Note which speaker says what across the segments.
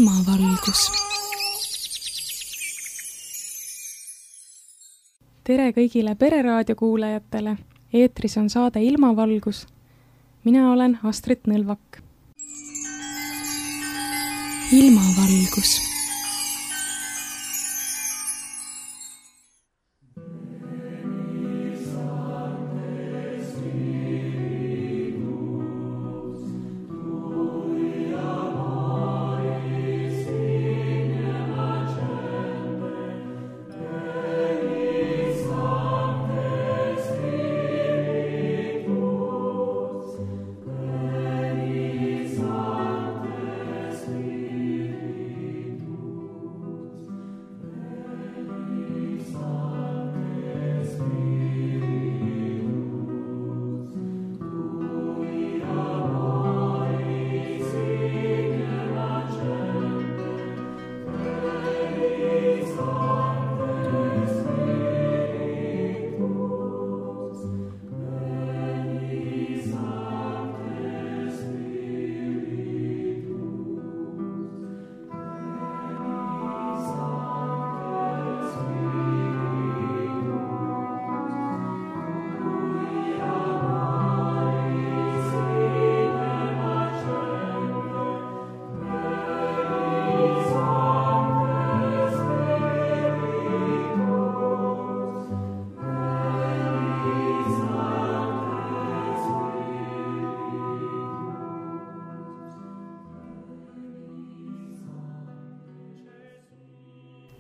Speaker 1: ilmavalgus. Tere kõigile Pereraadio kuulajatele. Eetris on saade Ilmavalgus. Mina olen Astrid Nõlvak. Ilmavalgus.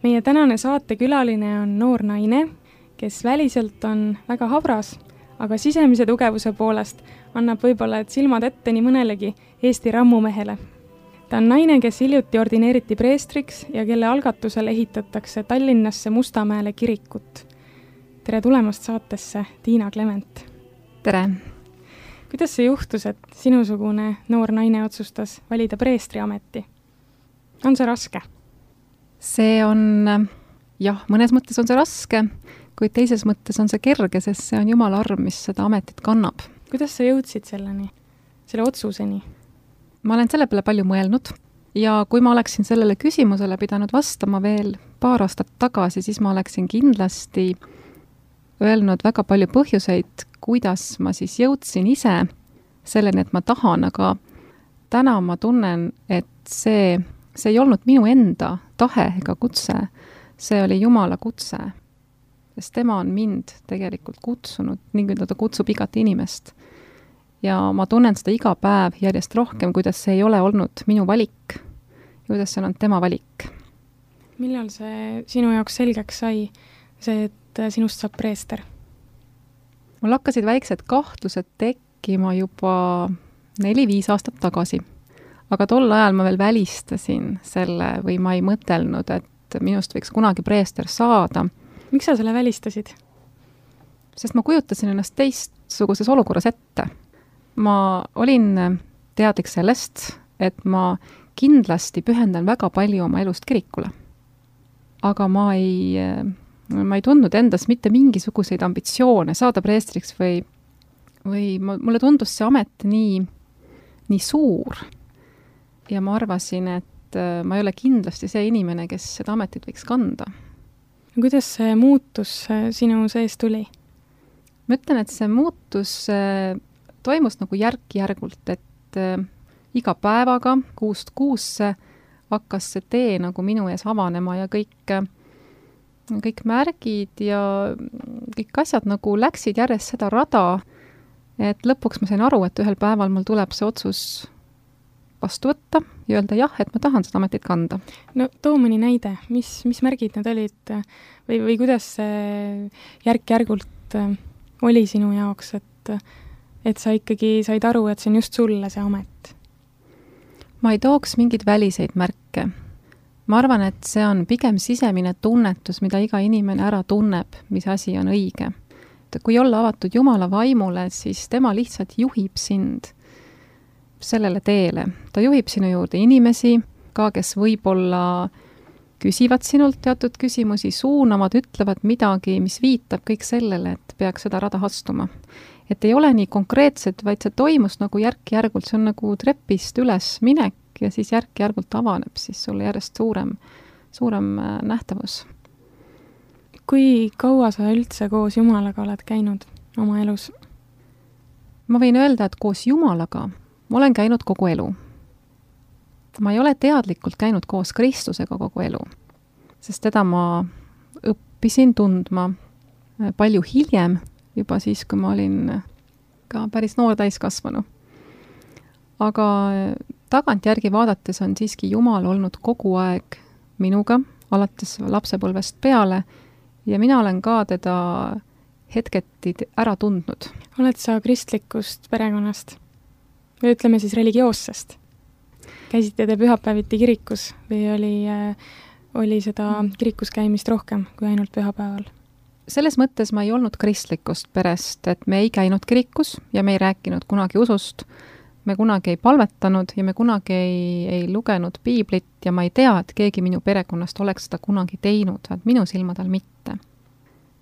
Speaker 1: Meie tänane saatekülaline on noor naine, kes väliselt on väga habras, aga sisemise tugevuse poolest annab võib-olla silmad ette nii mõnelegi Eesti rammumehele. Ta on naine, kes hiljuti ordineeriti preestriks ja kelle algatusel ehitatakse Tallinnasse Mustamäele kirikut. Tere tulemast saatesse, Tiina Klement.
Speaker 2: Tere!
Speaker 1: Kuidas see juhtus, et sinusugune noor naine otsustas valida preestriameti? On see raske?
Speaker 2: See on, jah, mõnes mõttes on see raske, kuid teises mõttes on see kerge, sest see on Jumala arm, mis seda ametit kannab.
Speaker 1: Kuidas sa jõudsid selleni, selle otsuseni?
Speaker 2: Ma olen selle peale palju mõelnud ja kui ma oleksin sellele küsimusele pidanud vastama veel paar aastat tagasi, siis ma oleksin kindlasti öelnud väga palju põhjuseid, kuidas ma siis jõudsin ise selleni, et ma tahan, aga täna ma tunnen, et see ei olnud minu enda tahe ega kutse, see oli Jumala kutse, sest tema on mind tegelikult kutsunud, nii ta kutsub igat inimest. Ja ma tunnen seda iga päev järjest rohkem, kuidas see ei ole olnud minu valik ja kuidas see on tema valik.
Speaker 1: Millal see sinu jaoks selgeks sai, see, et sinust saab preester?
Speaker 2: Mul hakkasid väiksed kahtlused tekkima juba 4-5 aastat tagasi. Aga tol ajal ma veel välistasin selle või ma ei mõtelnud, et minust võiks kunagi preester saada.
Speaker 1: Miks sa selle välistasid?
Speaker 2: Sest ma kujutasin ennast teistsuguses olukorras ette. Ma olin teadlik sellest, et ma kindlasti pühendan väga palju oma elust kirikule. Aga ma ei tundnud endas mitte mingisuguseid ambitsioone saada preestriks või mulle tundus see amet nii suur. Ja ma arvasin, et ma ei ole kindlasti see inimene, kes seda ametit võiks kanda.
Speaker 1: Kuidas see muutus sinu sees tuli?
Speaker 2: Ma ütlen, et see muutus toimus nagu järk-järgult, et iga päevaga, kuust kuusse hakkas see tee nagu minu ees avanema ja kõik märgid ja kõik asjad nagu läksid järjest seda rada, et lõpuks ma sain aru, et ühel päeval mul tuleb see otsus vastu võtta ja öelda jah, et ma tahan seda ametit kanda.
Speaker 1: No too mõni näide, mis märgid need olid või kuidas see järk-järgult oli sinu jaoks, et sa ikkagi said aru, et see on just sulle see amet?
Speaker 2: Ma ei tooks mingeid väliseid märke. Ma arvan, et see on pigem sisemine tunnetus, mida iga inimene ära tunneb, mis asi on õige. Kui olla avatud Jumala vaimule, siis tema lihtsalt juhib sind sellele teele. Ta juhib sinu juurde inimesi, ka kes võib-olla küsivad sinult teatud küsimusi, suunavad, ütlevad midagi, mis viitab kõik sellele, et peaks seda rada astuma. Et ei ole nii konkreetset, vaid see toimus nagu järk-järgult, see on nagu trepist üles minek ja siis järk-järgult avaneb siis sulle järjest suurem nähtavus.
Speaker 1: Kui kaua sa üldse koos Jumalaga oled käinud oma elus?
Speaker 2: Ma võin öelda, et koos Jumalaga ma olen käinud kogu elu. Ma ei ole teadlikult käinud koos Kristusega kogu elu, sest teda ma õppisin tundma palju hiljem, juba siis, kui ma olin ka päris noor täiskasvanu. Aga tagantjärgi vaadates on siiski Jumal olnud kogu aeg minuga, alates lapsepõlvest peale, ja mina olen ka teda hetketi ära tundnud.
Speaker 1: Oled sa kristlikust perekonnast? Või ütleme siis religioossest? Käisite te pühapäeviti kirikus või oli seda kirikus käimist rohkem kui ainult pühapäeval?
Speaker 2: Selles mõttes ma ei olnud kristlikust perest, et me ei käinud kirikus ja me ei rääkinud kunagi usust, me kunagi ei palvetanud ja me kunagi ei lugenud piiblit ja ma ei tea, et keegi minu perekonnast oleks seda kunagi teinud, et minu silmadel mitte.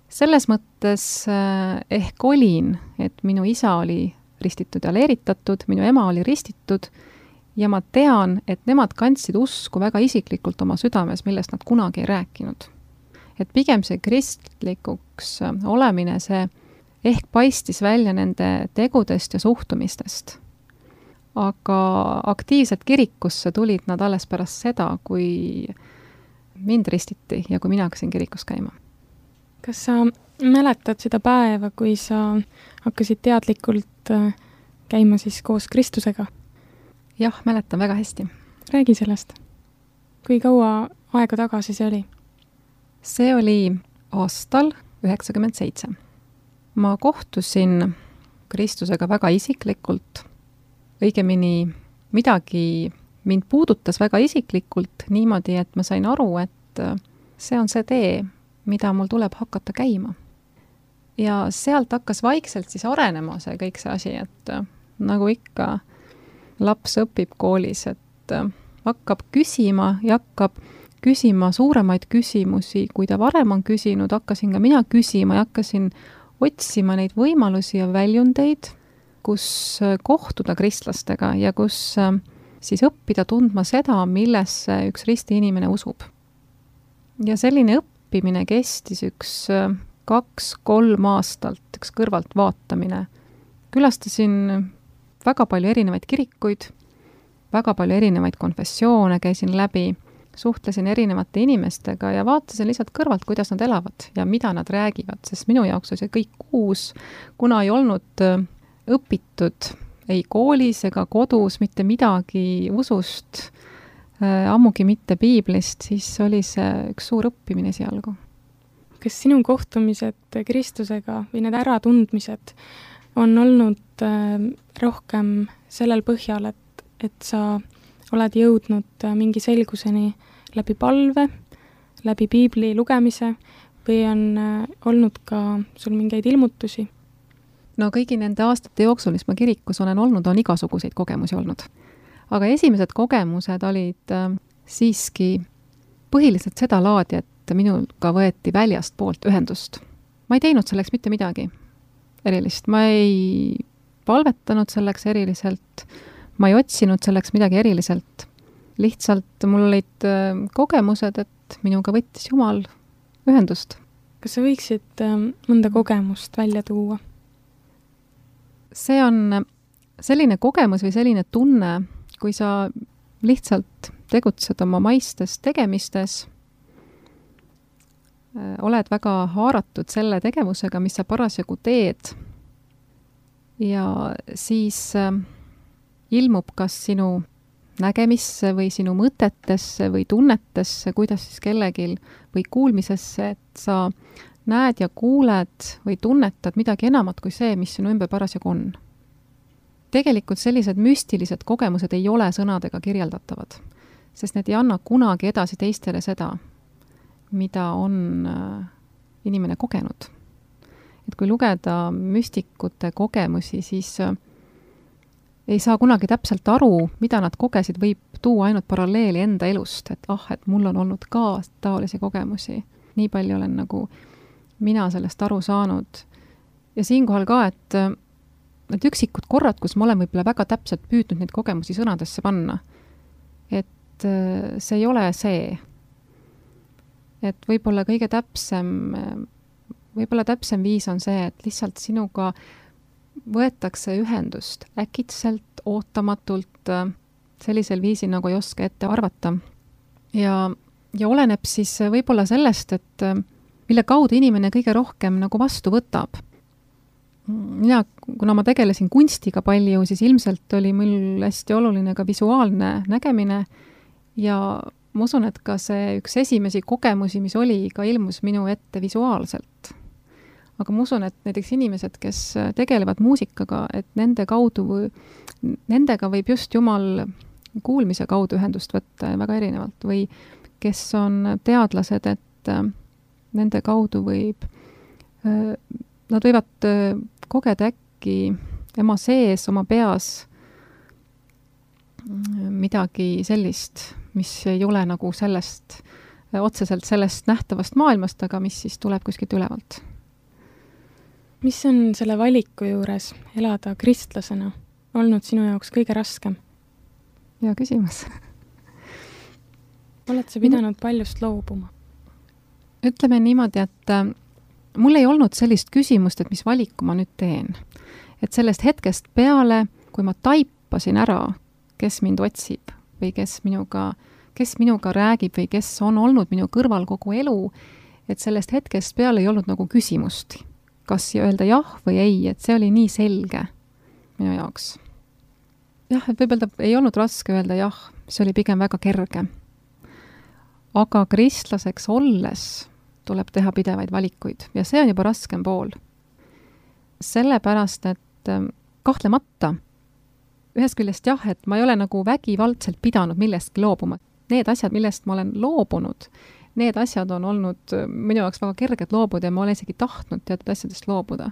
Speaker 2: Selles mõttes ehk olin, et minu isa oli ristitud ja leeritatud, minu ema oli ristitud ja ma tean, et nemad kandsid usku väga isiklikult oma südames, millest nad kunagi ei rääkinud. Et pigem see kristlikuks olemine, see ehk paistis välja nende tegudest ja suhtumistest. Aga aktiivselt kirikusse tulid nad alles pärast seda, kui mind ristiti ja kui mina hakkasin kirikus käima.
Speaker 1: Kas sa mäletad seda päeva, kui sa hakkasid teadlikult käima siis koos Kristusega?
Speaker 2: Jah, mäletan väga hästi.
Speaker 1: Räägi sellest. Kui kaua aega tagasi see oli?
Speaker 2: See oli aastal 1997. Ma kohtusin Kristusega väga isiklikult. Õigemini midagi mind puudutas väga isiklikult niimoodi, et ma sain aru, et see on see tee, mida mul tuleb hakata käima. Ja sealt hakkas vaikselt siis arenema see kõik see asi, et nagu ikka laps õpib koolis, et hakkab küsima ja hakkab küsima suuremaid küsimusi, kui ta varem on küsinud, hakkasin ka mina küsima ja hakkasin otsima neid võimalusi ja väljundeid, kus kohtuda kristlastega ja kus siis õppida tundma seda, millesse üks risti inimene usub. Ja selline õppimine kestis 2-3 aastalt, üks kõrvalt vaatamine. Külastasin väga palju erinevaid kirikuid, väga palju erinevaid konfessioone käisin läbi, suhtlesin erinevate inimestega ja vaatasin lihtsalt kõrvalt, kuidas nad elavad ja mida nad räägivad, sest minu jaoks oli see kõik uus, kuna ei olnud õpitud ei koolis ega kodus mitte midagi usust, ammugi mitte piiblist, siis oli see üks suur õppimine esialgu.
Speaker 1: Kas sinu kohtumised Kristusega või need äratundmised on olnud rohkem sellel põhjal, et sa oled jõudnud mingi selguseni läbi palve, läbi piibli lugemise või on olnud ka sul mingeid ilmutusi?
Speaker 2: No kõigi nende aastate jooksul, mis ma kirikus olen olnud, on igasuguseid kogemusi olnud. Aga esimesed kogemused olid siiski põhiliselt seda laadi, et minuga võeti väljast poolt ühendust. Ma ei teinud selleks mitte midagi erilist. Ma ei palvetanud selleks eriliselt. Ma ei otsinud selleks midagi eriliselt. Lihtsalt mul olid kogemused, et minuga võttis Jumal ühendust.
Speaker 1: Kas sa võiksid mõnda kogemust välja tuua?
Speaker 2: See on selline kogemus või selline tunne, kui sa lihtsalt tegutsed oma maistes tegemistes, oled väga haaratud selle tegevusega, mis sa parasjagu teed ja siis ilmub kas sinu nägemisse või sinu mõtetesse või tunnetesse, kuidas siis kellegil või kuulmisesse, et sa näed ja kuuled või tunnetad midagi enamat kui see, mis sinu ümber parasjagu on. Tegelikult sellised müstilised kogemused ei ole sõnadega kirjeldatavad, sest need ei anna kunagi edasi teistele seda, mida on inimene kogenud. Et kui lugeda müstikute kogemusi, siis ei saa kunagi täpselt aru, mida nad kogesid, võib tuua ainult paralleeli enda elust, et mul on olnud ka taolisi kogemusi. Nii palju olen nagu mina sellest aru saanud. Ja siinkohal ka, et need üksikud korrad, kus ma olen võib-olla väga täpselt püüdnud neid kogemusi sõnadesse panna, et see ei ole see. Et võib-olla kõige täpsem viis on see, et lihtsalt sinuga võetakse ühendust äkitselt, ootamatult, sellisel viisil, nagu ei oska ette arvata. Ja oleneb siis võib-olla sellest, et mille kaudu inimene kõige rohkem nagu vastu võtab. Mina, kuna ma tegelesin kunstiga palju, siis ilmselt oli mul hästi oluline ka visuaalne nägemine ja ma usun, et ka see üks esimesi kogemusi, mis oli, ka ilmus minu ette visuaalselt. Aga ma usun, et näiteks inimesed, kes tegelevad muusikaga, et nendega võib just Jumal kuulmise kaudu ühendust võtta väga erinevalt või kes on teadlased, et nende kaudu nad võivad kogeda äkki ema sees, oma peas midagi sellist, mis ei ole nagu otseselt sellest nähtavast maailmast, aga mis siis tuleb kuskilt ülevalt.
Speaker 1: Mis on selle valiku juures elada kristlasena olnud sinu jaoks kõige raskem?
Speaker 2: Hea küsimus.
Speaker 1: Oled sa pidanud paljust loobuma?
Speaker 2: Ütleme niimoodi, et mul ei olnud sellist küsimust, et mis valiku ma nüüd teen. Et sellest hetkest peale, kui ma taipasin ära, kes mind otsib või kes minuga räägib või kes on olnud minu kõrval kogu elu, et sellest hetkest peale ei olnud nagu küsimust, kas öelda jah või ei, et see oli nii selge minu jaoks. Jah, et võib-olla ei olnud raske öelda jah, see oli pigem väga kerge. Aga kristlaseks olles tuleb teha pidevaid valikuid ja see on juba raskem pool. Sellepärast, et kahtlemata ühest küljest jah, et ma ei ole nagu vägivaldselt pidanud millestki loobuma. Need asjad, millest ma olen loobunud, need asjad on olnud minu jaoks väga kerged loobuda ja ma olen isegi tahtnud teatud asjadest loobuda.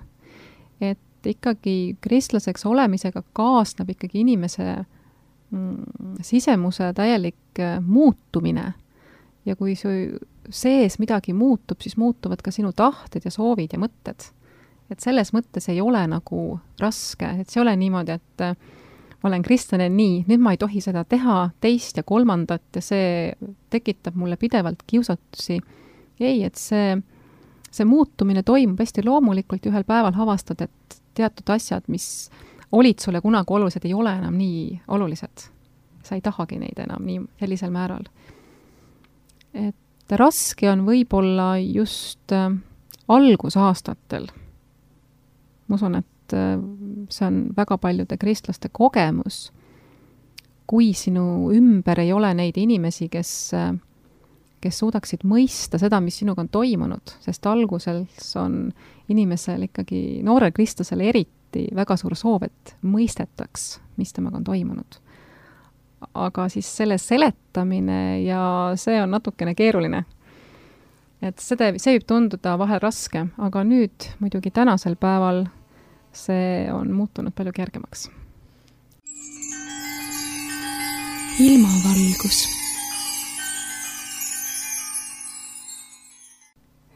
Speaker 2: Et ikkagi kristlaseks olemisega kaasneb ikkagi inimese sisemuse täielik muutumine. Ja kui sees midagi muutub, siis muutuvad ka sinu tahted ja soovid ja mõtted. Et selles mõttes ei ole nagu raske, et see ei ole niimoodi, et ma olen kristlane nii, nüüd ma ei tohi seda teha, teist ja kolmandat ja see tekitab mulle pidevalt kiusatusi. Ei, et see muutumine toimub hästi loomulikult ja ühel päeval havastad, et teatud asjad, mis olid sulle kunagi olulised, ei ole enam nii olulised. Sa ei tahagi neid enam nii sellisel määral. Et raske on võib-olla just algusaastatel. Ma usun, et see on väga paljude kristlaste kogemus, kui sinu ümber ei ole neid inimesi, kes suudaksid mõista seda, mis sinuga on toimunud, sest alguses on inimesel ikkagi, noorel kristlasel eriti väga suur soov, et mõistetaks, mis temaga on toimunud. Aga siis selle seletamine ja see on natukene keeruline. Et see võib tunduda vahel raske, aga nüüd muidugi tänasel päeval see on muutunud palju kergemaks.
Speaker 1: Ilmavalgus.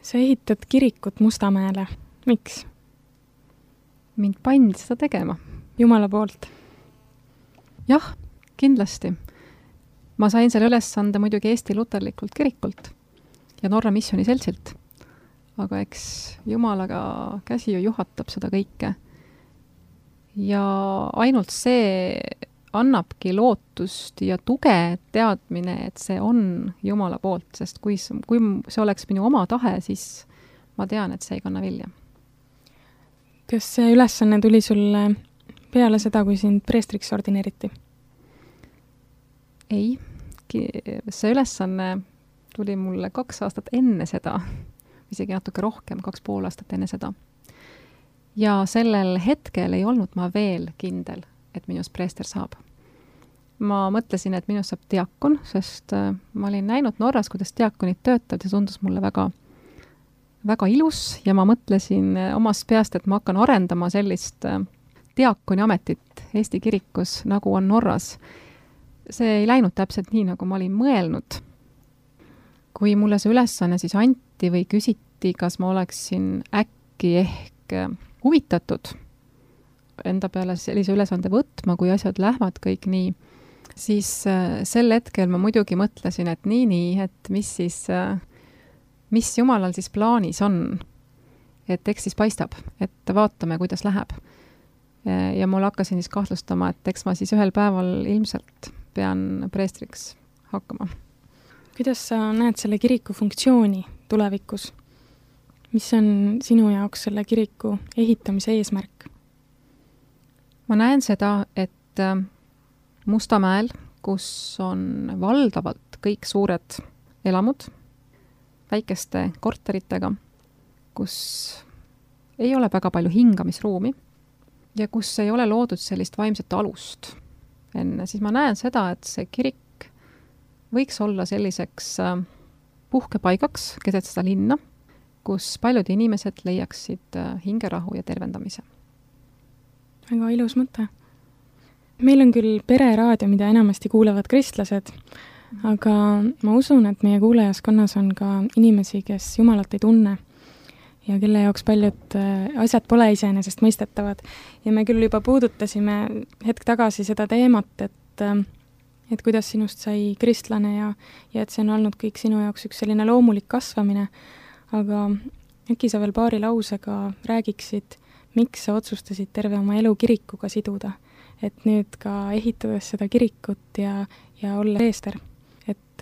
Speaker 1: Sa ehitad kirikut Mustamäele. Miks?
Speaker 2: Mind pandi seda tegema.
Speaker 1: Jumala poolt?
Speaker 2: Jah, kindlasti. Ma sain selle ülesande muidugi Eesti Luterlikult kirikult ja Norra Missiooni seltsilt. Aga eks Jumalaga käsi ju juhatab seda kõike. Ja ainult see annabki lootust ja tuge teadmine, et see on Jumala poolt, sest kui see oleks minu oma tahe, siis ma tean, et see ei kanna vilja.
Speaker 1: Kas see ülesanne tuli sulle peale seda, kui sind preestriks ordineeriti?
Speaker 2: Ei, see ülesanne tuli mulle 2 aastat enne seda, isegi natuke rohkem, 2,5 aastat enne seda. Ja sellel hetkel ei olnud ma veel kindel, et minust preester saab. Ma mõtlesin, et minust saab diakon, sest ma olin näinud Norras, kuidas diakonid töötavad ja tundus mulle väga, väga ilus ja ma mõtlesin omast peast, et ma hakkan arendama sellist diakoni ametit Eesti kirikus, nagu on Norras. See ei läinud täpselt nii, nagu ma olin mõelnud. Kui mulle see ülesanne siis anti või küsiti, kas ma oleksin äkki ehk huvitatud enda peale sellise ülesande võtma, kui asjad lähevad kõik nii siis sel hetkel ma muidugi mõtlesin, et nii, et mis Jumalal siis plaanis on. Et eks siis paistab, et vaatame, kuidas läheb. Ja mul hakkasin siis kahtlustama, et eks ma siis ühel päeval ilmselt pean preestriks hakkama.
Speaker 1: Kuidas sa näed selle kiriku funktsiooni tulevikus? Mis on sinu jaoks selle kiriku ehitamise eesmärk?
Speaker 2: Ma näen seda, et Mustamäel, kus on valdavalt kõik suured elamud, väikeste korteritega, kus ei ole väga palju hingamisruumi ja kus ei ole loodud sellist vaimset alust enne, siis ma näen seda, et see kirik võiks olla selliseks puhkepaigaks keset seda linna, kus paljud inimesed leiaksid hingerahu ja tervendamise.
Speaker 1: Väga ilus mõte. Meil on küll pereraadio, mida enamasti kuulevad kristlased, aga ma usun, et meie kuulajaskonnas on ka inimesi, kes Jumalat ei tunne ja kelle jaoks paljud asjad pole iseenesest mõistetavad. Ja me küll juba puudutasime hetk tagasi seda teemat, et kuidas sinust sai kristlane ja et see on olnud kõik sinu jaoks üks selline loomulik kasvamine, aga äkki sa veel paari lausega räägiksid, miks sa otsustasid terve oma elu kirikuga siduda, et nüüd ka ehitades seda kirikut ja olla preester. Et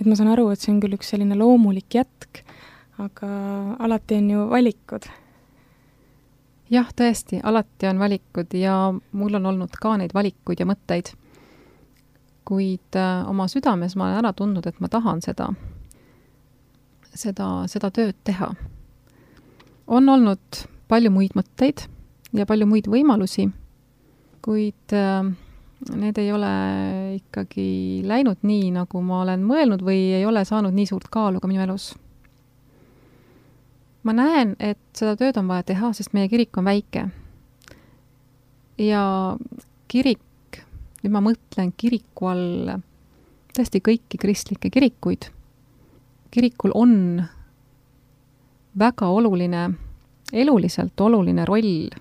Speaker 1: ma saan aru, et see on küll üks selline loomulik jätk, aga alati on ju valikud.
Speaker 2: Jah, tõesti, alati on valikud ja mul on olnud ka neid valikuid ja mõtteid. Kuid oma südames ma olen ära tundnud, et ma tahan seda tööd teha. On olnud palju muid mõtteid ja palju muid võimalusi, kuid need ei ole ikkagi läinud nii, nagu ma olen mõelnud või ei ole saanud nii suurt kaalu ka minu elus. Ma näen, et seda tööd on vaja teha, sest meie kirik on väike. Ja kirik, nüüd ma mõtlen kiriku all tõesti kõiki kristlikke kirikuid. Kirikul on väga oluline, eluliselt oluline roll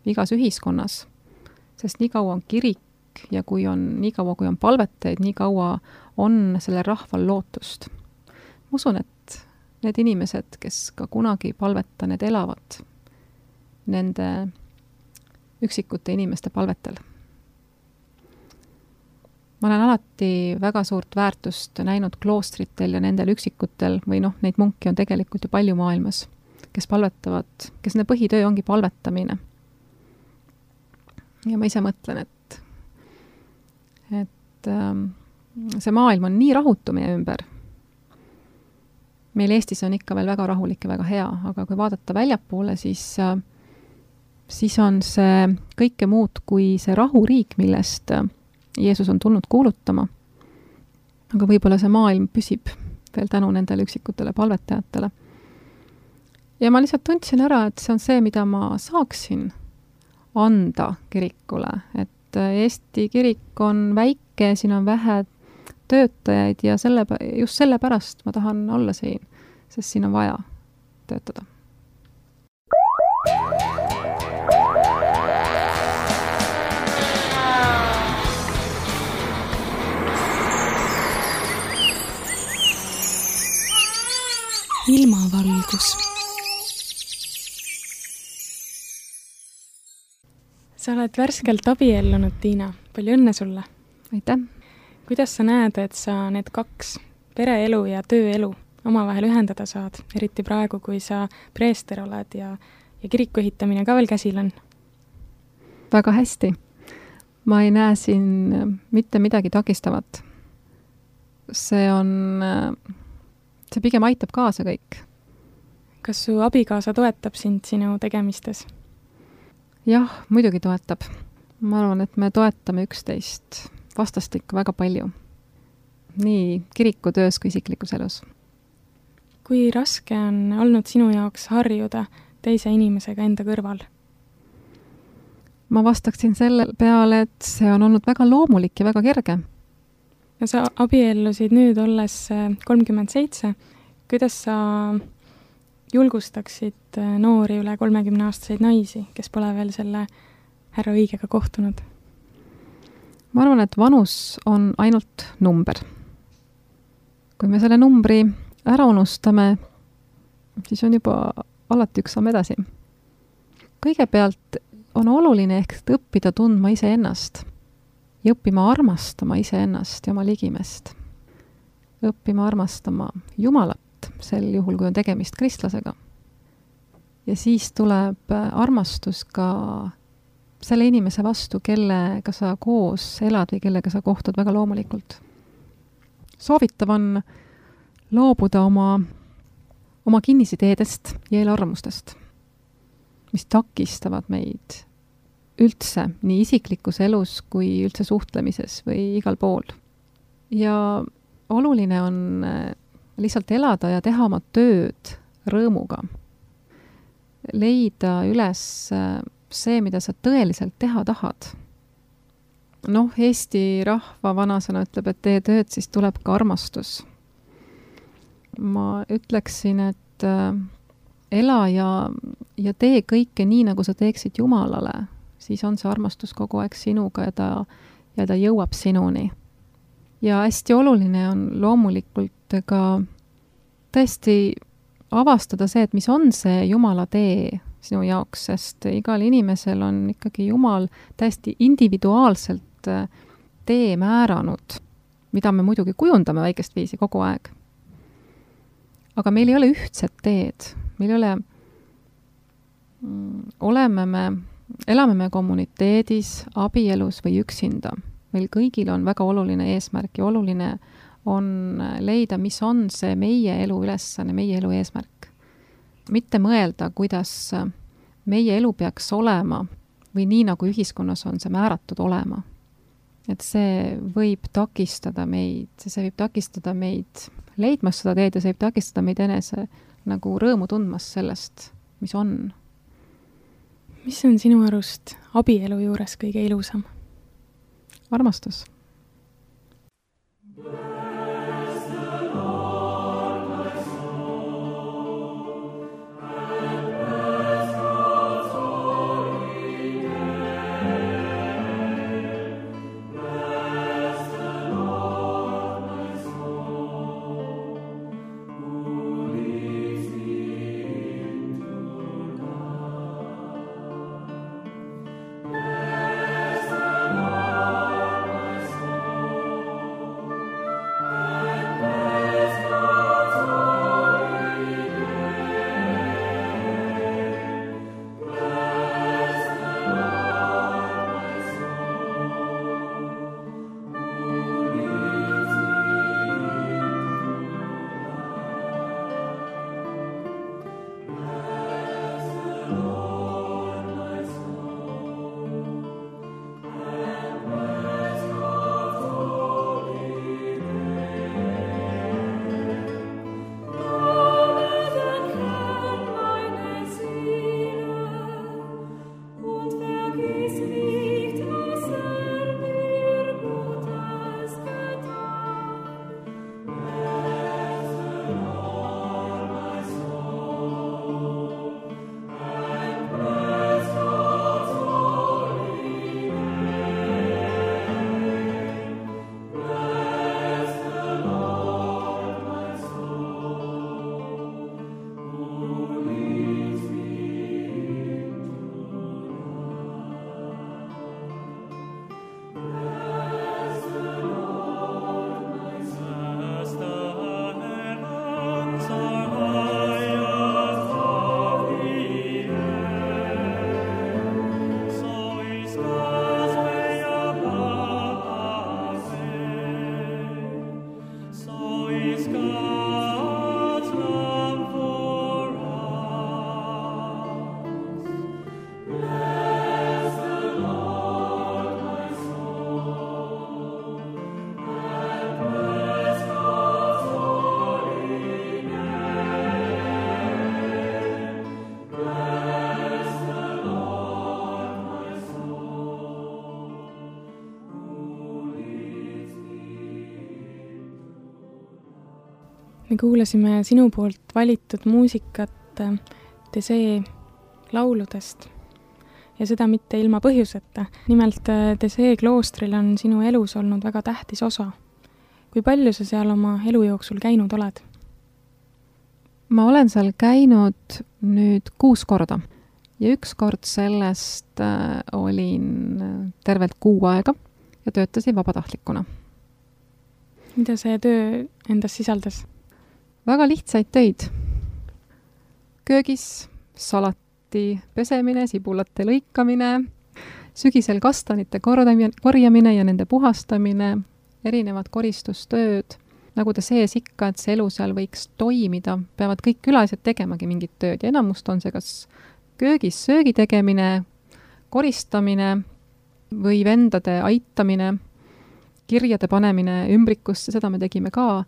Speaker 2: igas ühiskonnas, sest nii kaua on kirik ja nii kaua kui on palvetajaid, nii kaua on selle rahval lootust. Ma usun, et need inimesed, kes ka kunagi palveta, need elavad nende üksikute inimeste palvetel. Ma olen alati väga suurt väärtust näinud kloostritel ja nendel üksikutel, või neid munki on tegelikult ju palju maailmas, kes palvetavad, kes nende põhitöö ongi palvetamine. Ja ma ise mõtlen, et see maailm on nii rahutu meie ümber. Meil Eestis on ikka veel väga rahulik ja väga hea, aga kui vaadata väljapoole, siis on see kõike muud kui see rahuriik, millest Jeesus on tulnud kuulutama. Aga võib-olla see maailm püsib veel tänu nendele üksikutele palvetajatele. Ja ma lihtsalt tundsin ära, et see on see, mida ma saaksin anda kirikule. Et Eesti kirik on väike, siin on vähe töötajaid ja just sellepärast ma tahan olla siin, sest siin on vaja töötada.
Speaker 1: Ilmavalgus. Sa oled värskelt abiellunud, Tiina. Palju õnne sulle!
Speaker 2: Aitäh!
Speaker 1: Kuidas sa näed, et sa need kaks, pereelu ja tööelu, omavahel ühendada saad, eriti praegu, kui sa preester oled ja kiriku ehitamine ka veel käsil on?
Speaker 2: Väga hästi. Ma ei näe siin mitte midagi takistavat. See pigem aitab kaasa kõik.
Speaker 1: Kas su abikaasa toetab sind sinu tegemistes?
Speaker 2: Jah, muidugi toetab. Ma arvan, et me toetame üksteist vastastikku väga palju. Nii kirikutöös kui isiklikus elus.
Speaker 1: Kui raske on olnud sinu jaoks harjuda teise inimesega enda kõrval?
Speaker 2: Ma vastaksin selle peale, et see on olnud väga loomulik ja väga kerge.
Speaker 1: Ja sa abiellusid nüüd olles 37. Kuidas sa julgustaksid noori üle 30-aastaseid naisi, kes pole veel selle härra õigega kohtunud?
Speaker 2: ma arvan, et vanus on ainult number. Kui me selle numbri ära unustame, siis on juba alati üks samm edasi. Kõigepealt on oluline ehk õppida tundma iseennast ja õppima armastama iseennast ja oma ligimest. Õppima armastama Jumalat, sel juhul, kui on tegemist kristlasega. Ja siis tuleb armastus ka selle inimese vastu, kellega sa koos elad või kellega sa kohtud väga loomulikult. Soovitav on loobuda oma kinnisideedest ja eelarvamustest, mis takistavad meid üldse nii isiklikus elus kui üldse suhtlemises või igal pool. Ja oluline on lihtsalt elada ja teha oma tööd rõõmuga. Leida üles see, mida sa tõeliselt teha tahad. Eesti rahva vanasõna ütleb, et tee tööd, siis tuleb ka armastus. Ma ütleksin, et ela ja tee kõike nii, nagu sa teeksid Jumalale, siis on see armastus kogu aeg sinuga ja ta jõuab sinuni. Ja hästi oluline on loomulikult ka tõesti avastada see, et mis on see Jumala tee sinu jaoks, sest igal inimesel on ikkagi Jumal täiesti individuaalselt tee määranud, mida me muidugi kujundame väikest viisi kogu aeg. Aga meil ei ole ühtset teed. Meil ei ole, elame me kommuniteedis, abielus või üksinda. Meil kõigil on väga oluline eesmärk ja oluline on leida, mis on see meie elu ülesanne, meie elu eesmärk. Mitte mõelda, kuidas meie elu peaks olema või nii, nagu ühiskonnas on see määratud olema. Et see võib takistada meid leidmas seda teed ja see võib takistada meid enese nagu rõõmu tundmas sellest, mis on.
Speaker 1: Mis on sinu arust abielu juures kõige ilusam?
Speaker 2: Armastus.
Speaker 1: Me kuulasime sinu poolt valitud muusikat Tesee lauludest. ja seda mitte ilma põhjuseta. Nimelt Thésée kloostril on sinu elus olnud väga tähtis osa. Kui palju sa seal oma elu jooksul käinud oled?
Speaker 2: Ma olen seal käinud nüüd 6 korda ja üks kord sellest olin tervelt 6 aega ja töötasin vabatahtlikuna.
Speaker 1: Mida see töö endas sisaldas?
Speaker 2: Väga lihtsaid töid. Köögis salati pesemine, sibulate lõikamine, sügisel kastanite korjamine ja nende puhastamine, erinevad koristustööd. Nagu ta sees ikka, et see elu seal võiks toimida, peavad kõik külalised tegemagi mingit tööd ja enamust on see kas köögis söögi tegemine, koristamine või vendade aitamine, kirjade panemine ümbrikusse, seda me tegime ka.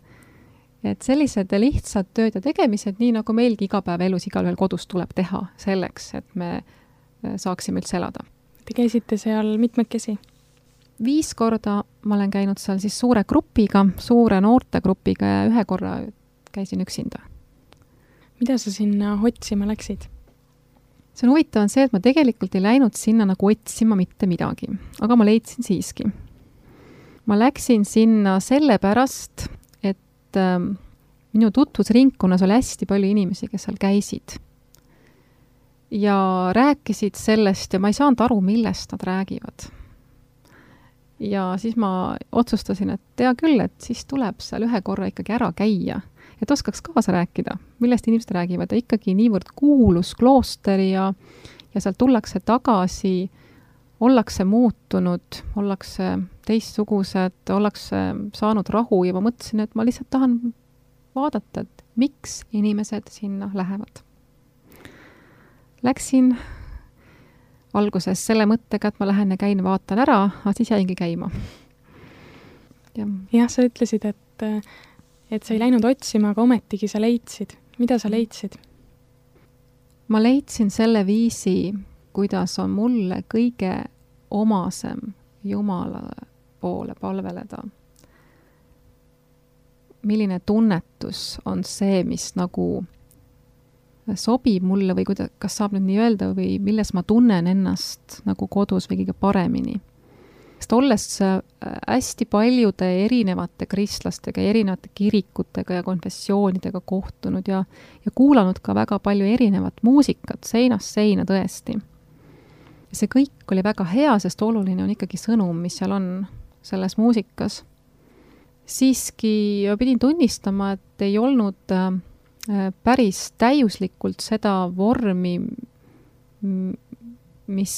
Speaker 2: Et sellised lihtsad tööd ja tegemised, nii nagu meilgi igapäevaelus igalühel kodus tuleb teha selleks, et me saaksime üldse elada.
Speaker 1: Te käisite seal mitmekesi?
Speaker 2: 5 korda ma olen käinud seal siis suure grupiga, suure noortegrupiga ja 1 korra käisin üksinda. Mida sa sinna otsima läksid? See on huvitav on see, et ma tegelikult ei läinud sinna nagu otsima mitte midagi, aga ma leidsin siiski. Ma läksin sinna sellepärast, et minu tutvusringkonnas oli hästi palju inimesi, kes seal käisid. Ja rääkisid sellest ja ma ei saanud aru, millest nad räägivad. Ja siis ma otsustasin, et tea küll, et siis tuleb seal 1 korra ikkagi ära käia, et oskaks kaasa rääkida, millest inimesed räägivad. Ja ikkagi niivõrd kuulus klooster ja sealt tullakse tagasi, ollakse muutunud, ollakse teistsugused, ollakse saanud rahu ja ma mõtlesin, et ma lihtsalt tahan vaadata, et miks inimesed sinna lähevad. Läksin alguses selle mõttega, et ma lähen ja käin, vaatan ära, aga siis jäingi käima.
Speaker 1: Jah, sa ütlesid, et sa ei läinud otsima, aga ometigi sa leidsid. Mida sa leidsid?
Speaker 2: Ma leidsin selle viisi, kuidas on mulle kõige omasem Jumala poole palveleda. Milline tunnetus on see, mis nagu sobib mulle või kas saab nüüd nii öelda või milles ma tunnen ennast nagu kodus või kõige paremini. Sest olles hästi paljude erinevate kristlastega, erinevate kirikutega ja konfessioonidega kohtunud ja kuulanud ka väga palju erinevat muusikat seinast seina tõesti. See kõik oli väga hea, sest oluline on ikkagi sõnum, mis seal on selles muusikas. Siiski pidin tunnistama, et ei olnud päris täiuslikult seda vormi, mis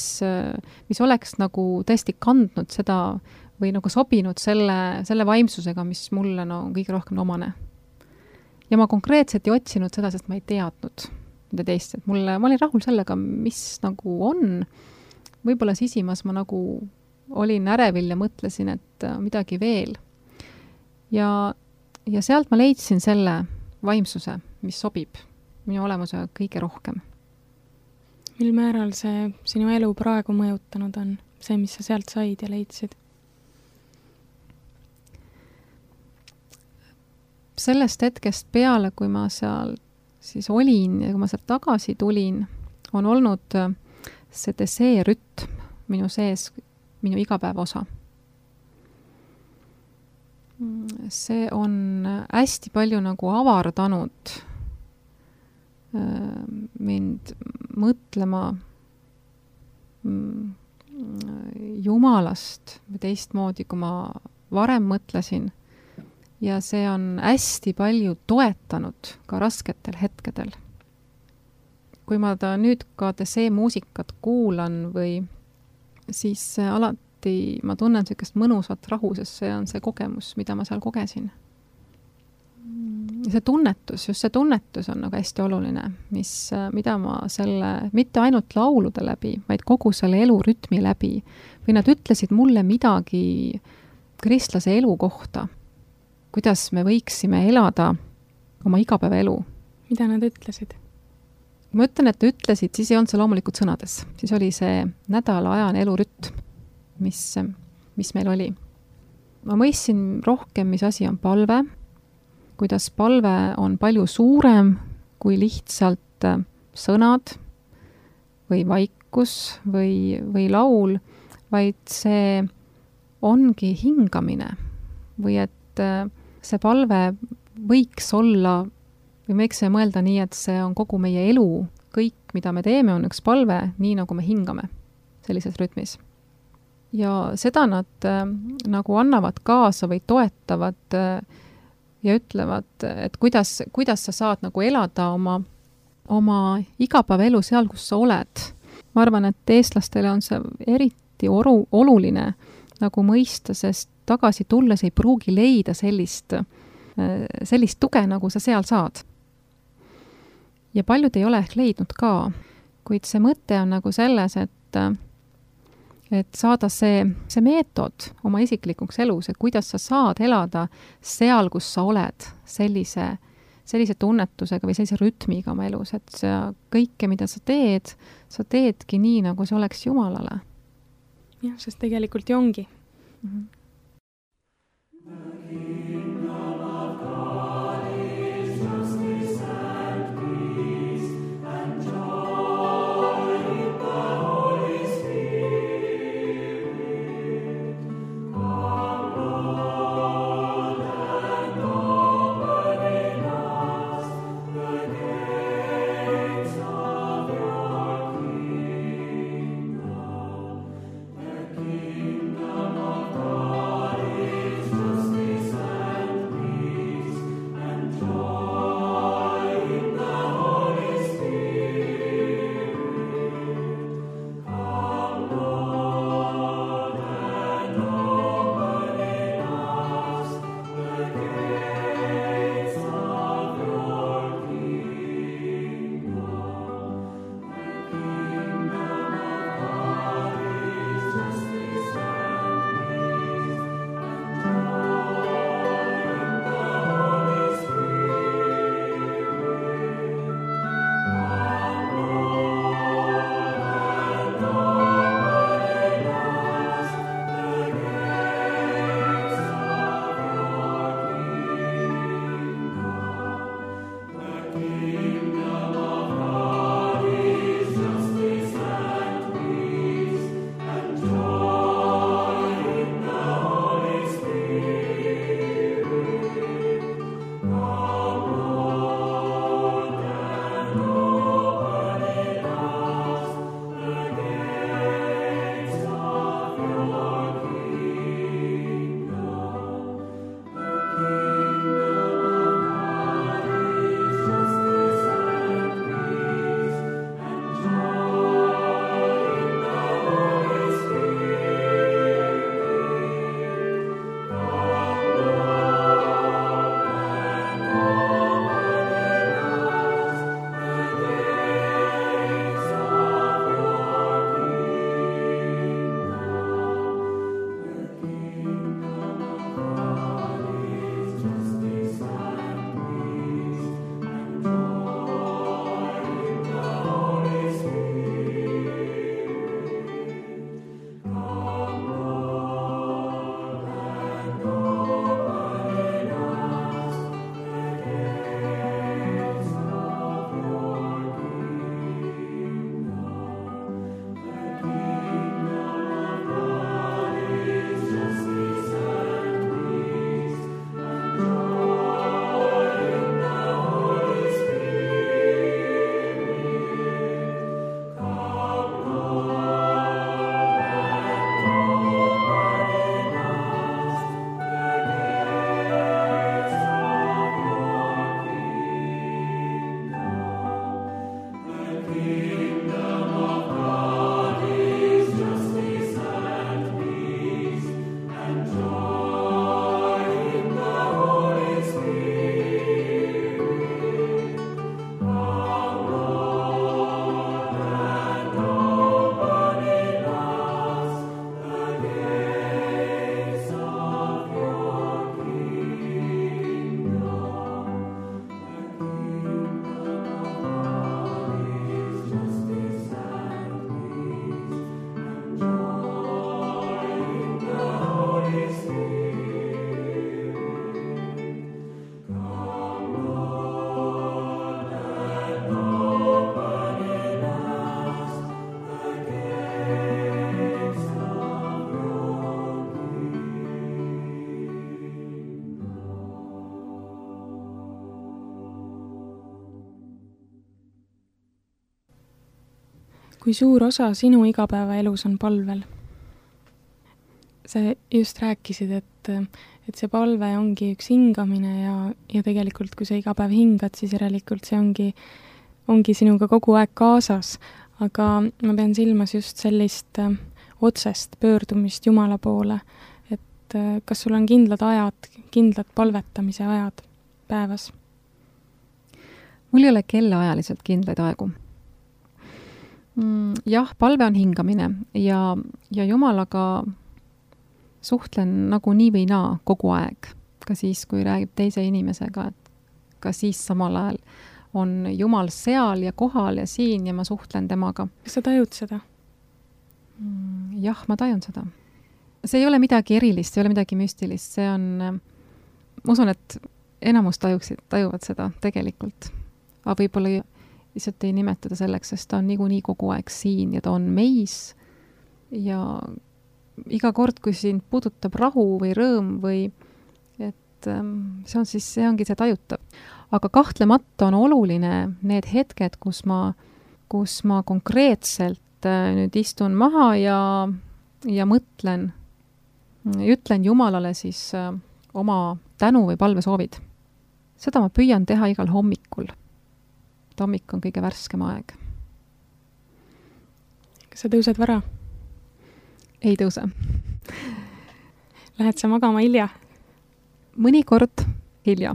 Speaker 2: oleks nagu tõesti kandnud seda või nagu sobinud selle vaimsusega, mis mulle kõige rohkem omane. Ja ma konkreetselt ei otsinud seda, sest ma ei teadnud mida teist, et ma olin rahul sellega, mis nagu on. Võib-olla sisimas ma nagu olin ärevil ja mõtlesin, et midagi veel. Ja sealt ma leidsin selle vaimsuse, mis sobib minu olemusega kõige rohkem.
Speaker 1: Mil määral see sinu elu praegu mõjutanud on, see, mis sa sealt said ja leidsid?
Speaker 2: Sellest hetkest peale, kui ma seal siis olin ja kui ma sealt tagasi tulin, on olnud see Thésée rütm minu sees, minu igapäeva osa. See on hästi palju nagu avardanud mind mõtlema Jumalast teistmoodi, kui ma varem mõtlesin. Ja see on hästi palju toetanud ka rasketel hetkedel. Kui ma nüüd ka Thésée muusikat kuulan või siis alati ma tunnen sellist mõnusat rahu, sest see on see kogemus, mida ma seal kogesin. See tunnetus, just see tunnetus on nagu hästi oluline, mida ma mitte ainult laulude läbi, vaid kogu selle elurütmi läbi. Või nad ütlesid mulle midagi kristlase elu kohta, kuidas me võiksime elada oma igapäevaelu.
Speaker 1: Mida nad ütlesid?
Speaker 2: Kui ma ütlen, et nad ütlesid, siis ei olnud see loomulikult sõnades. Siis oli see nädalaajane elurütm, mis meil oli. Ma mõistsin rohkem, mis asi on palve, kuidas palve on palju suurem kui lihtsalt sõnad või tarkus või laul, vaid see ongi hingamine või et see palve võiks olla või me võiks mõelda nii, et see on kogu meie elu, kõik, mida me teeme, on üks palve, nii nagu me hingame sellises rütmis. Ja seda nad nagu annavad kaasa või toetavad ja ütlevad, et kuidas sa saad nagu elada oma igapäevaelu seal, kus sa oled. Ma arvan, et eestlastele on see eriti oluline nagu mõista, sest tagasi tulles ei pruugi leida sellist tuge, nagu sa seal saad. Ja paljud ei ole ehk leidnud ka, kuid see mõte on nagu selles, et saada see meetod oma isiklikuks elus, et kuidas sa saad elada seal, kus sa oled, sellise tunnetusega või sellise rütmiga oma elus, et kõike, mida sa teedki nii, nagu see oleks Jumalale.
Speaker 1: Jah, sest tegelikult ju ongi. kui suur osa sinu igapäevaelus on palvel? Sa just rääkisid, et see palve ongi üks hingamine ja tegelikult, kui sa iga päev hingad, siis järelikult see ongi sinuga kogu aeg kaasas. Aga ma pean silmas just sellist otsest pöördumist Jumala poole, et kas sul on kindlad ajad, kindlad palvetamise ajad päevas?
Speaker 2: Mul ei ole kellaajaliselt kindlaid aegu. Jah, palve on hingamine ja Jumalaga suhtlen nagu nii või naa kogu aeg. Ka siis, kui räägib teise inimesega, et ka siis samal ajal on Jumal seal ja kohal ja siin ja ma suhtlen temaga.
Speaker 1: Kas sa tajud seda?
Speaker 2: Jah, ma tajun seda. See ei ole midagi erilist, ei ole midagi müstilist. See on, ma usun, et enamus tajuvad seda tegelikult. Aga võib-olla lihtsalt ei nimetada selleks, sest ta on niikuinii kogu aeg siin ja ta on meis ja iga kord, kui sind puudutab rahu või rõõm või et see ongi see tajutav. Aga kahtlemata on oluline need hetked, kus ma konkreetselt nüüd istun maha ja mõtlen, ütlen Jumalale siis oma tänu või palvesoovid. Seda ma püüan teha igal hommikul. Hommik on kõige värskem aeg.
Speaker 1: Kas sa tõused vara?
Speaker 2: Ei tõuse.
Speaker 1: Lähed sa magama hilja?
Speaker 2: Mõnikord hilja.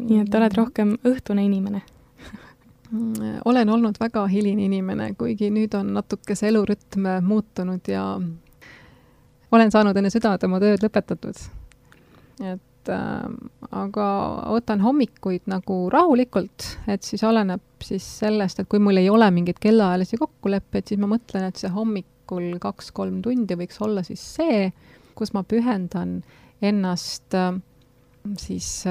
Speaker 1: Nii et oled rohkem õhtune inimene?
Speaker 2: Olen olnud väga hiline inimene, kuigi nüüd on natuke see elurütm muutunud ja olen saanud enne südamelt oma tööd lõpetatud. Aga võtan hommikuid nagu rahulikult, et siis oleneb siis sellest, et kui mul ei ole mingid kellaajalisi kokkuleppeid, siis ma mõtlen, et see hommikul 2-3 tundi võiks olla siis see, kus ma pühendan ennast siis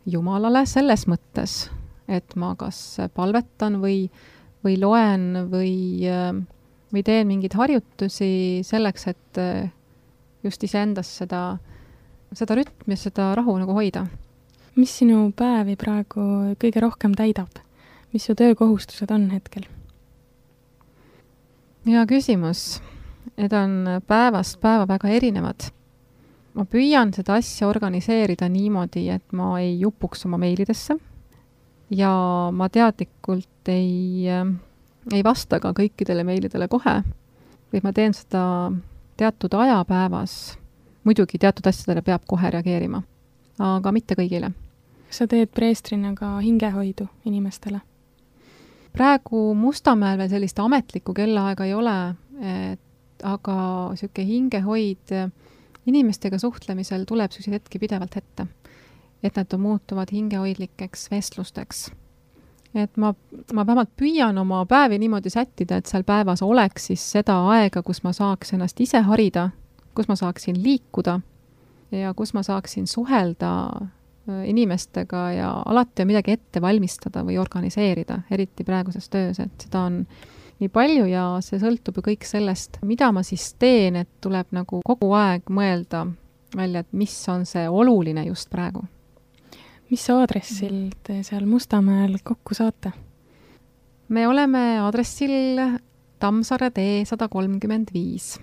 Speaker 2: Jumalale selles mõttes, et ma kas palvetan või loen või teen mingeid harjutusi selleks, et just iseendas seda rütmi, seda rahu nagu hoida.
Speaker 1: Mis sinu päevi praegu kõige rohkem täidab? Mis su töökohustused on hetkel?
Speaker 2: Hea küsimus. Need on päevast päeva väga erinevad. Ma püüan seda asja organiseerida niimoodi, et ma ei jupuks oma meilidesse ja ma teadlikult ei vasta ka kõikidele meilidele kohe, või ma teen seda teatud aja päevas. Muidugi teatud asjadele peab kohe reageerima, aga mitte kõigile.
Speaker 1: Kas sa teed preestrina ka hingehoidu inimestele?
Speaker 2: Praegu Mustamäel veel sellist ametlikku kellaaega ei ole, aga selline hingehoid inimestega suhtlemisel tuleb selliseid hetki pidevalt ette, et nad muutuvad hingehoidlikeks vestlusteks. Et ma vähemalt püüan oma päevi niimoodi sättida, et seal päevas oleks siis seda aega, kus ma saaks ennast ise harida, kus ma saaksin liikuda ja kus ma saaksin suhelda inimestega ja alati on midagi ette valmistada või organiseerida, eriti praeguses töös, et seda on nii palju ja see sõltub ju kõik sellest, mida ma siis teen, et tuleb nagu kogu aeg mõelda välja, et mis on see oluline just praegu.
Speaker 1: Mis aadressil te seal Mustamäel kokku saate?
Speaker 2: Me oleme aadressil Tammsaare tee 135.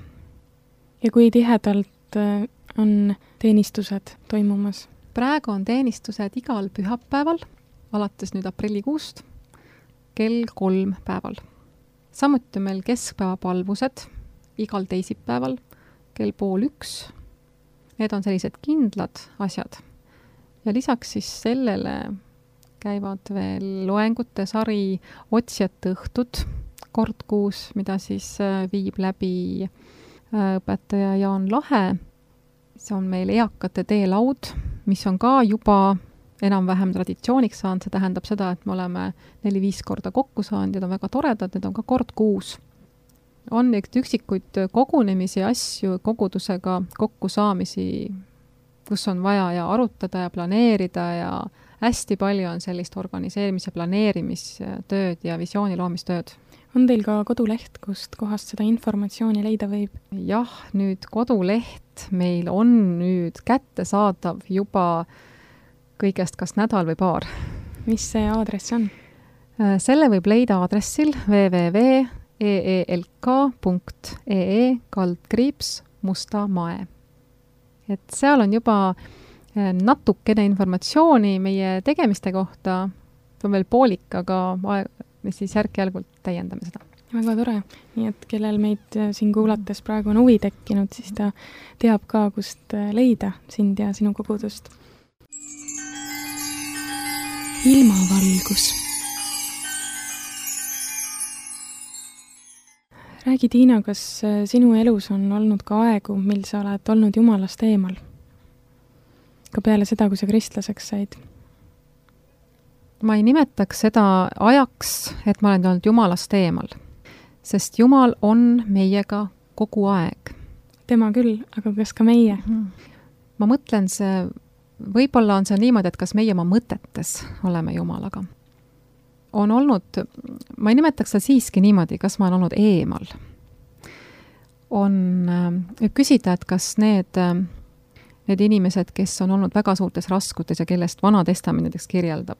Speaker 2: Ja
Speaker 1: kui tihedalt on teenistused toimumas?
Speaker 2: Praegu on teenistused igal pühapäeval, alates nüüd aprillikuust, kell 3 päeval. Samuti on meil keskpäevapalvused igal teisipäeval, kell 12:30. Need on sellised kindlad asjad. Ja lisaks siis sellele käivad veel loengute sari Otsijate õhtud kord kuus, mida siis viib läbi õpetaja Jaan Lahe. See on meil eakate teelaud, mis on ka juba enam-vähem traditsiooniks saanud, see tähendab seda, et me oleme 4-5 korda kokku saanud ja need on väga toredad, need on ka kord kuus. On üksikuid kogunemisi, asju, kogudusega kokkusaamisi, kus on vaja ja arutada ja planeerida ja hästi palju on sellist organiseerimise, planeerimistööd ja visiooni loomistööd.
Speaker 1: On teil ka koduleht, kust kohast seda informatsiooni leida võib?
Speaker 2: Jah, nüüd koduleht meil on nüüd kättesaadav juba kõigest kas nädal või paar.
Speaker 1: Mis see aadress on?
Speaker 2: Selle võib leida aadressil www eelk.ee/Musta Mae. Et seal on juba natukene informatsiooni meie tegemiste kohta, see on veel poolik, aga me siis järk-järgult täiendame seda.
Speaker 1: Väga tore. Nii et kellel meid siin kuulates praegu on huvi tekkinud, siis ta teab ka, kust leida sind ja sinu kogudust. Ilmavalgus. Räägi, Tiina, kas sinu elus on olnud ka aegu, mil sa oled olnud Jumalast eemal? Ka peale seda, kui sa kristlaseks said?
Speaker 2: Ma ei nimetaks seda ajaks, et ma olen olnud Jumalast eemal, sest Jumal on meiega kogu aeg.
Speaker 1: Tema küll, aga kas ka meie?
Speaker 2: Ma mõtlen võib-olla on see niimoodi, et kas meie oma mõtetes oleme Jumalaga. On olnud, ma ei nimetaks seda siiski niimoodi, kas ma olen olnud eemal. Võib küsida, et kas need inimesed, kes on olnud väga suurtes raskutes ja kellest Vana Testament näiteks kirjeldab,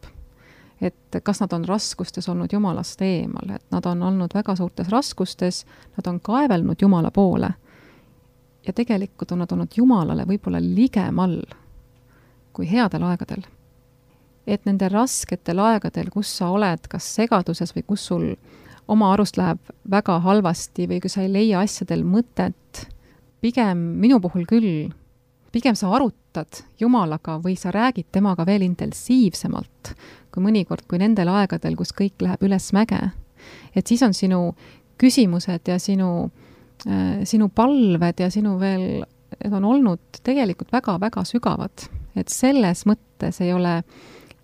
Speaker 2: et kas nad on raskustes olnud Jumalast eemal, et nad on olnud väga suurtes raskustes, nad on kaevelnud Jumala poole ja tegelikult on nad olnud Jumalale võib-olla ligemal kui headel aegadel. Et nende rasketel aegadel, kus sa oled kas segaduses või kus sul oma arust läheb väga halvasti või kui sa ei leia asjadel mõtet, pigem minu puhul küll, pigem sa arutad Jumalaga või sa räägid temaga veel intensiivsemalt kui mõnikord, kui nendel aegadel, kus kõik läheb üles mäge. Et siis on sinu küsimused ja sinu palved ja sinu veel, et on olnud tegelikult väga-väga sügavad. Et selles mõttes ei ole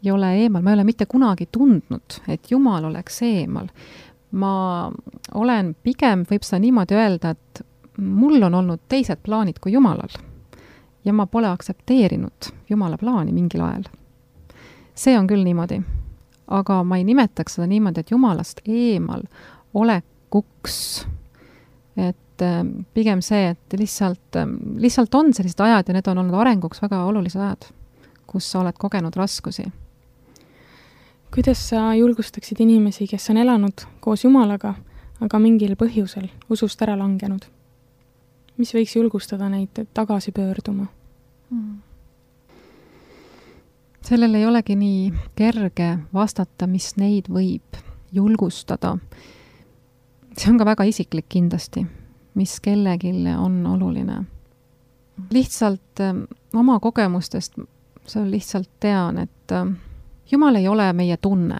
Speaker 2: eemal, ma ei ole mitte kunagi tundnud, et Jumal oleks eemal. Ma olen pigem, võib seda niimoodi öelda, et mul on olnud teised plaanid kui Jumalal ja ma pole aktsepteerinud Jumala plaani mingil ajal. See on küll niimoodi, aga ma ei nimetaks seda niimoodi, et Jumalast eemal olekuks, et pigem see, et lihtsalt on sellised ajad ja need on olnud arenguks väga olulised ajad, kus sa oled kogenud raskusi.
Speaker 1: Kuidas sa julgustaksid inimesi, kes on elanud koos Jumalaga, aga mingil põhjusel usust ära langenud? Mis võiks julgustada neid tagasi pöörduma?
Speaker 2: Sellel ei olegi nii kerge vastata, mis neid võib julgustada. See on ka väga isiklik kindlasti, mis kellelgi on oluline. Lihtsalt oma kogemustest see lihtsalt tean, et Jumal ei ole meie tunne.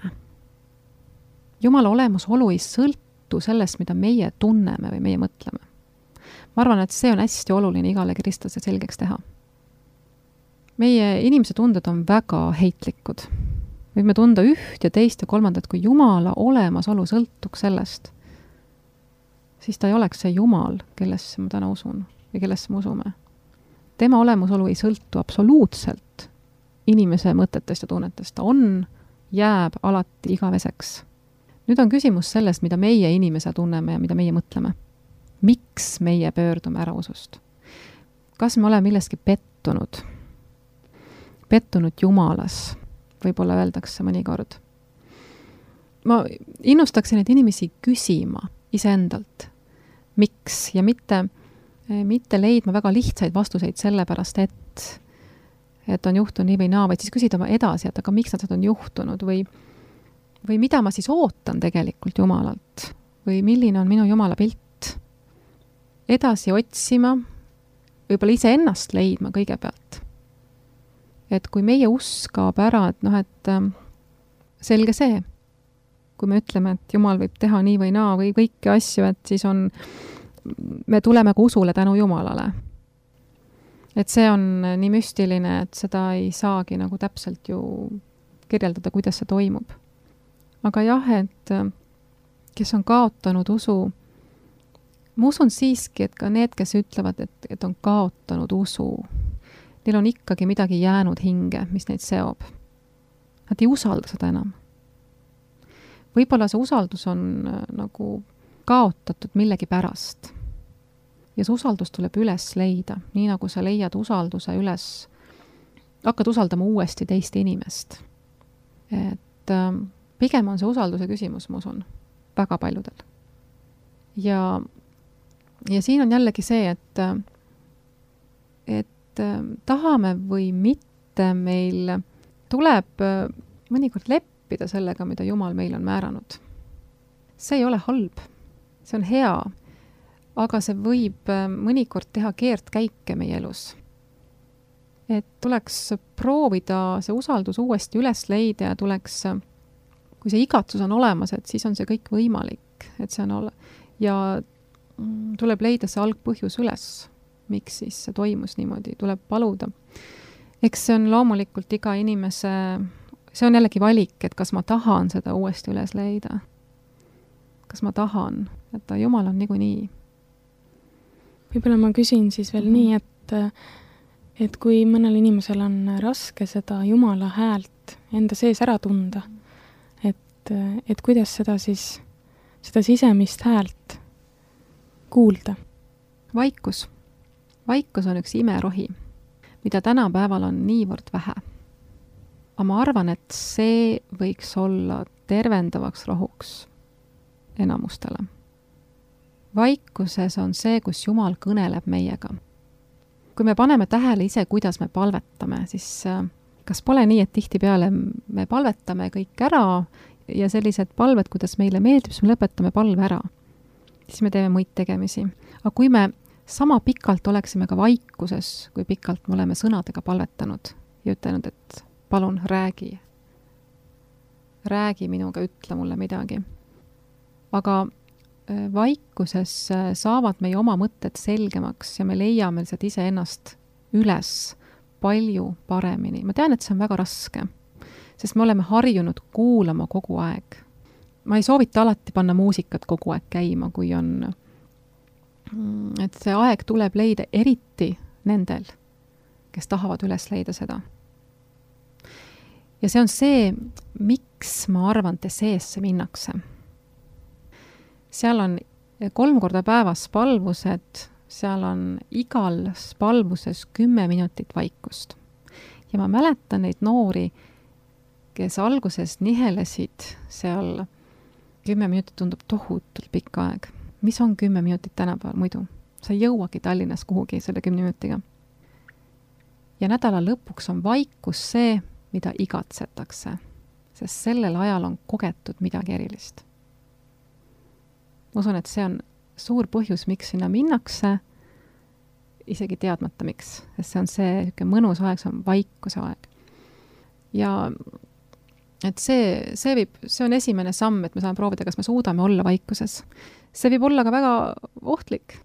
Speaker 2: Jumala olemasolu ei sõltu sellest, mida meie tunneme või meie mõtleme. Ma arvan, et see on hästi oluline igale kristlase selgeks teha. Meie inimese tunded on väga heitlikud. Võime tunda üht ja teist ja kolmandat, kui Jumala olemasolu sõltuks sellest, siis ta ei oleks see Jumal, kellesse ma täna usun või kellesse me usume. Tema olemasolu ei sõltu absoluutselt inimese mõtetest ja tunnetest. Ta jääb alati igaveseks. Nüüd on küsimus sellest, mida meie inimese tunneme ja mida meie mõtleme. Miks meie pöördume ära usust? Kas me oleme milleski pettunud? Pettunud Jumalas, võib-olla öeldakse mõnikord. Ma innustaksin neid inimesi küsima iseendalt, miks ja mitte leidma väga lihtsaid vastuseid sellepärast, et on juhtunud nii või naa, vaid siis küsida edasi, et aga miks nad on juhtunud või mida ma siis ootan tegelikult Jumalalt või milline on minu Jumala pilt. Edasi otsima, võib-olla ise ennast leidma kõigepealt. Et kui meie usk kaob ära, et selge see, kui me ütleme, et Jumal võib teha nii või naa või kõiki asju, et siis me tuleme ka usule tänu Jumalale. Et see on nii müstiline, et seda ei saagi nagu täpselt ju kirjeldada, kuidas see toimub. Aga jah, et kes on kaotanud usu, ma usun siiski, et ka need, kes ütlevad, et on kaotanud usu, neil on ikkagi midagi jäänud hinge, mis neid seob. Nad ei usalda seda enam. Võib-olla see usaldus on nagu kaotatud millegi pärast. Ja see usaldus tuleb üles leida, nii nagu sa leiad usalduse üles, hakkad usaldama uuesti teist inimest. Et pigem on see usalduse küsimus, ma usun, väga paljudel. ja siin on jällegi see, et tahame või mitte, meil tuleb mõnikord leppida sellega, mida Jumal meil on määranud. See ei ole halb, see on hea, aga see võib mõnikord teha keerdkäike meie elus. Et tuleks proovida see usaldus uuesti üles leida ja tuleks, kui see igatsus on olemas, et siis on see kõik võimalik, et see on ja tuleb leida see algpõhjus üles, miks siis see toimus niimoodi, tuleb paluda. Eks see on loomulikult iga inimese, see on jällegi valik, et kas ma tahan seda uuesti üles leida. Kas ma tahan, et Jumal on niikuinii.
Speaker 1: Võib-olla ma küsin siis veel nii, et kui mõnel inimesel on raske seda Jumala häält enda sees ära tunda, et kuidas seda siis, seda sisemist häält kuulda?
Speaker 2: Vaikus. Vaikus on üks imerohi, mida tänapäeval on niivõrd vähe. Aga ma arvan, et see võiks olla tervendavaks rohuks enamustele. Vaikuses on see, kus Jumal kõneleb meiega. Kui me paneme tähele ise, kuidas me palvetame, siis kas pole nii, et tihtipeale me palvetame kõik ära ja sellised palved, kuidas meile meeldib, siis me lõpetame palve ära. Siis me teeme muid tegemisi. Aga kui me sama pikalt oleksime ka vaikuses, kui pikalt me oleme sõnadega palvetanud ja ütelnud, et palun räägi. Räägi minuga, ütle mulle midagi. Aga vaikuses saavad meie oma mõtted selgemaks ja me leiame lihtsalt iseennast üles palju paremini. Ma tean, et see on väga raske, sest me oleme harjunud kuulama kogu aeg. Ma ei soovita alati panna muusikat kogu aeg käima, kui on, et see aeg tuleb leida eriti nendel, kes tahavad üles leida seda. Ja see on see, miks ma arvan, et seesse minnakse. Seal on 3 korda päevas palvused, seal on igal palvuses 10 minutit vaikust. Ja ma mäletan neid noori, kes alguses nihelesid seal 10 minutit tundub tohutult pikk aeg. Mis on 10 minutit tänapäeval muidu? Sa ei jõuagi Tallinnas kuhugi selle 10 minutiga. Ja nädala lõpuks on vaikus see, mida igatsetakse, sest sellel ajal on kogetud midagi erilist. Ma usun, et see on suur põhjus, miks sinna minnakse, isegi teadmata miks, sest see on see mõnus aeg, see on vaikuse aeg. Ja et see on esimene samm, et me saame proovida, kas me suudame olla vaikuses. See võib olla ka väga ohtlik,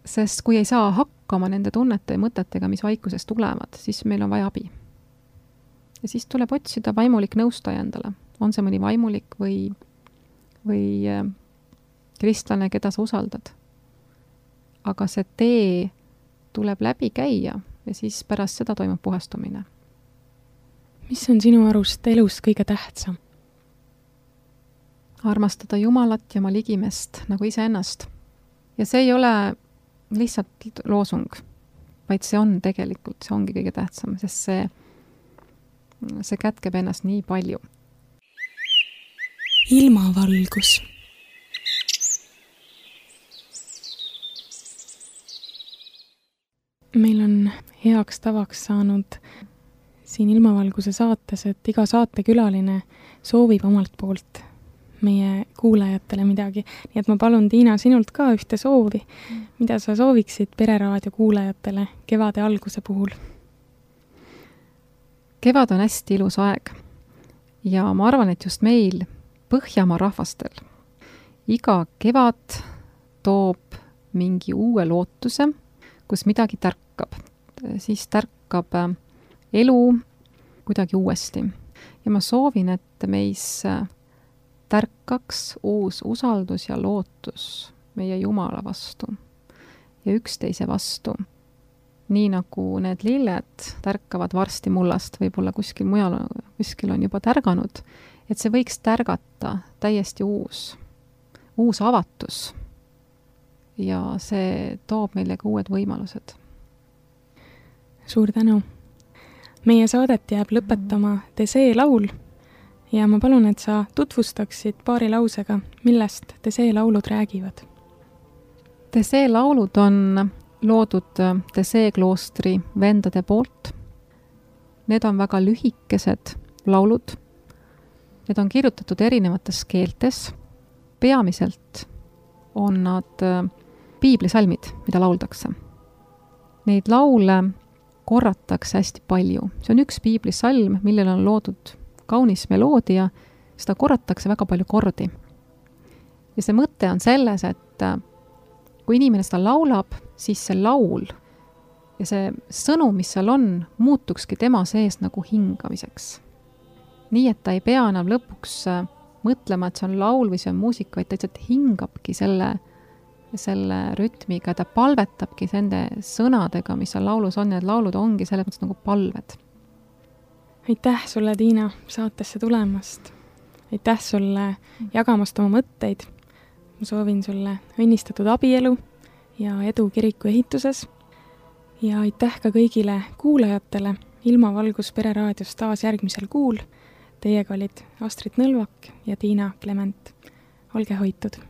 Speaker 2: sest kui ei saa hakkama nende tunnete ja mõtetega, mis vaikuses tulevad, siis meil on vaja abi. Ja siis tuleb otsida vaimulik nõustaja endale. On see mõni vaimulik või kristlane, keda sa usaldad. Aga see tee tuleb läbi käia ja siis pärast seda toimub puhastumine.
Speaker 1: Mis on sinu arust elus kõige tähtsam?
Speaker 2: Armastada Jumalat ja oma ligimest nagu iseennast. Ja see ei ole lihtsalt loosung, vaid see on tegelikult, see ongi kõige tähtsam, sest see kätkeb ennast nii palju.
Speaker 1: Ilmavalgus. Meil on heaks tavaks saanud siin Ilmavalguse saates, et iga saatekülaline soovib omalt poolt meie kuulajatele midagi. Nii et ma palun, Tiina, sinult ka ühte soovi. Mida sa sooviksid Pereraadio kuulajatele kevade alguse puhul?
Speaker 2: Kevad on hästi ilus aeg ja ma arvan, et just meil Põhjamaa rahvastel iga kevad toob mingi uue lootuse, kus midagi tärkab. Siis tärkab elu kuidagi uuesti. Ja ma soovin, et meis tärkaks uus usaldus ja lootus meie Jumala vastu ja üksteise vastu. Nii nagu need lilled tärkavad varsti mullast, võib-olla kuskil mujal, kuskil on juba tärganud, et see võiks tärgata täiesti uus avatus. Ja see toob meile ka uued võimalused.
Speaker 1: Suur tänu. Meie saadet jääb lõpetama Tesee laul ja ma palun, et sa tutvustaksid paari lausega, millest Tesee laulud räägivad.
Speaker 2: Tesee laulud on loodud Tesee kloostri vendade poolt. Need on väga lühikesed laulud. Need on kirjutatud erinevates keeltes. Peamiselt on nad piiblisalmid, mida lauldakse. Neid laule korratakse hästi palju. See on üks piiblisalm, millel on loodud kaunis meloodia, seda korratakse väga palju kordi. Ja see mõte on selles, et kui inimene seda laulab, siis see laul ja see sõnum, mis seal on, muutukski tema sees nagu hingamiseks. Nii, et ta ei pea enam lõpuks mõtlema, et see on laul või see on muusika, vaid ta lihtsalt hingabki selle rütmiga, ta palvetabki nende sõnadega, mis seal laulus on, ja laulud ongi selles mõttes nagu palved.
Speaker 1: Aitäh sulle, Tiina, saatesse tulemast. Aitäh sulle jagamast oma mõtteid. Ma soovin sulle õnnistatud abielu ja edu kiriku ehituses. Ja aitäh ka kõigile kuulajatele Ilmavalgus Pereraadios taas järgmisel kuul. Teiega olid Astrid Nõlvak ja Tiina Klement. Olge hoitud!